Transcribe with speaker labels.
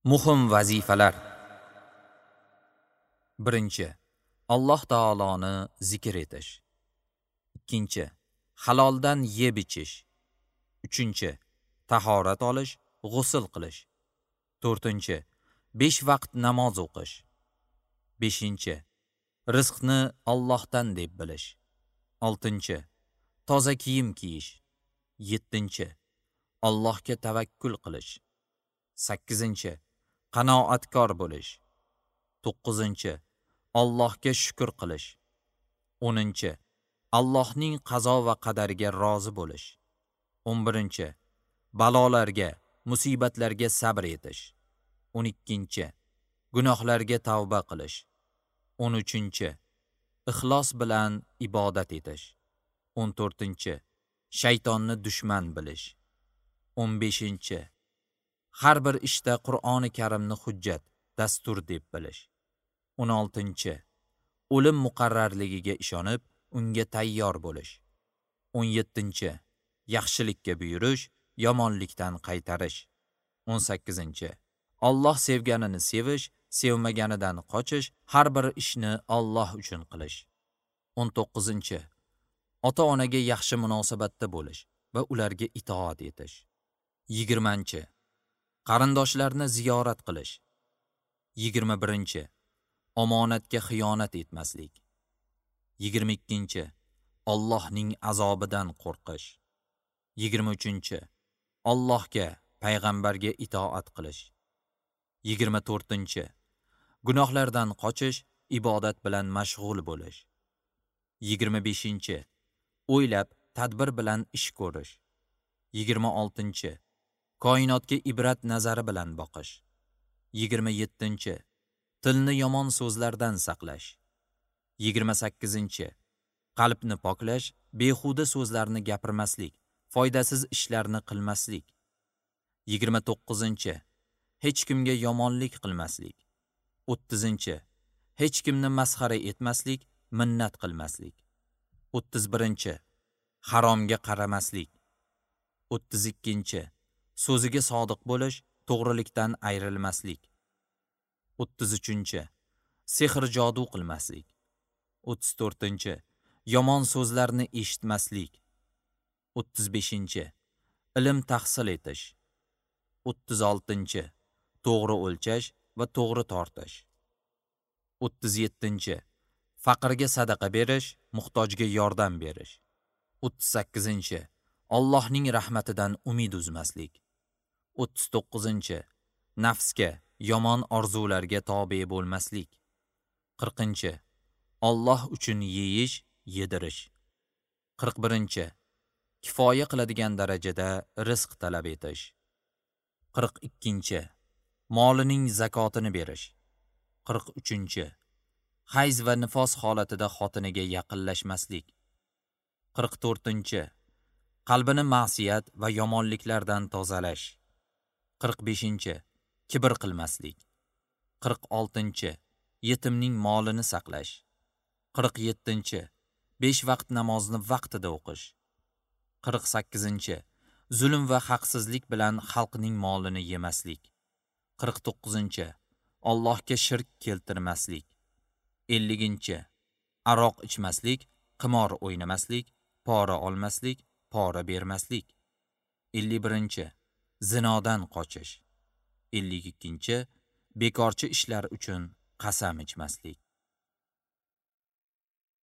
Speaker 1: Muhim vazifalar. 1. Alloh taoloni zikr etish. 2. Haloldan yeb ichish. 3. Tahorat olish, g'usl qilish. 4. 5 vaqt namoz o'qish. 5. Rizqni Allohdan deb bilish. 6. Toza kiyim kiyish. 7. Allohga tavakkul qilish. 8. Qanoatkor bo'lish. 9. Allohga shukr qilish. 10. Allohning qazo va qadariga rozi bo'lish. 11. Balolarga, musibatlarga sabr etish. 12. Gunohlarga tavba qilish. 13. Ixlos bilan ibodat etish. 14. Shaytonni dushman bilish. 15. Har bir ishda Qur'oni Karimni hujjat, dastur deb bilish. 16. O'lim muqarrarligiga ishonib, unga tayyor bo'lish. 17. Yaxshilikka buyurish, yomonlikdan qaytarish. 18. Alloh sevganini sevish, sevmaganidan qochish, har bir ishni Alloh uchun qilish. 19. Ota-onaga yaxshi munosabatda bo'lish va ularga itoat etish. 20. Qarindoshlarni ziyorat qilish. 21. Omonatga xiyonat etmaslik. 22. Allohning azobidan qo'rqish. 23. Allohga, payg'ambarga itoat qilish. 24. Gunohlardan qochish, ibodat bilan mashg'ul bo'lish. 25. O'ylab, tadbir bilan ish ko'rish. 26. Koinotga ibrat nazari bilan boqish. 27. Tilni yomon so'zlardan saqlash. 28. Qalbni poklash, behuda so'zlarni gapirmaslik, foydasiz ishlarni qilmaslik. 29. Hech kimga yomonlik qilmaslik. 30. Hech kimni masxara etmaslik, minnat qilmaslik. 31. Haromga qaramaslik. 32. So'ziga sodiq bo'lish, to'g'rilikdan ayrilmaslik. 33. Sehr jodu qilmaslik. 34. Yomon so'zlarni eshitmaslik. 35. Ilm tahsil etish. 36. To'g'ri o'lchash va to'g'ri tortish. 37. Faqirga sadaqa berish, muhtojga yordam berish. 38. Allohning rahmatidan umid uzmaslik. 39. Nafsga, yomon orzularga tobe bo'lmaslik. 40. Alloh uchun yeyish, yedirish. 41. Kifoya qiladigan darajada rizq talab etish. 42. Molining zakotini berish. 43. Hayz va nifos holatida xotiniga yaqinlashmaslik. 44. Qalbini ma'siyat va yomonliklardan tozalash. 45. Kibr qilmaslik. 46. Yetimning molini saqlash. 47. 5 vaqt namozni vaqtida o'qish. 48. Zulm va haqsizlik bilan xalqning molini yemaslik. 49. Allohga shirk keltirmaslik. 50. Aroq ichmaslik, qimor o'ynamaslik, pora olmaslik, pora bermaslik. 51. Zinodan qochish. 52. Bekorchi ishlar uchun qasam ichmaslik.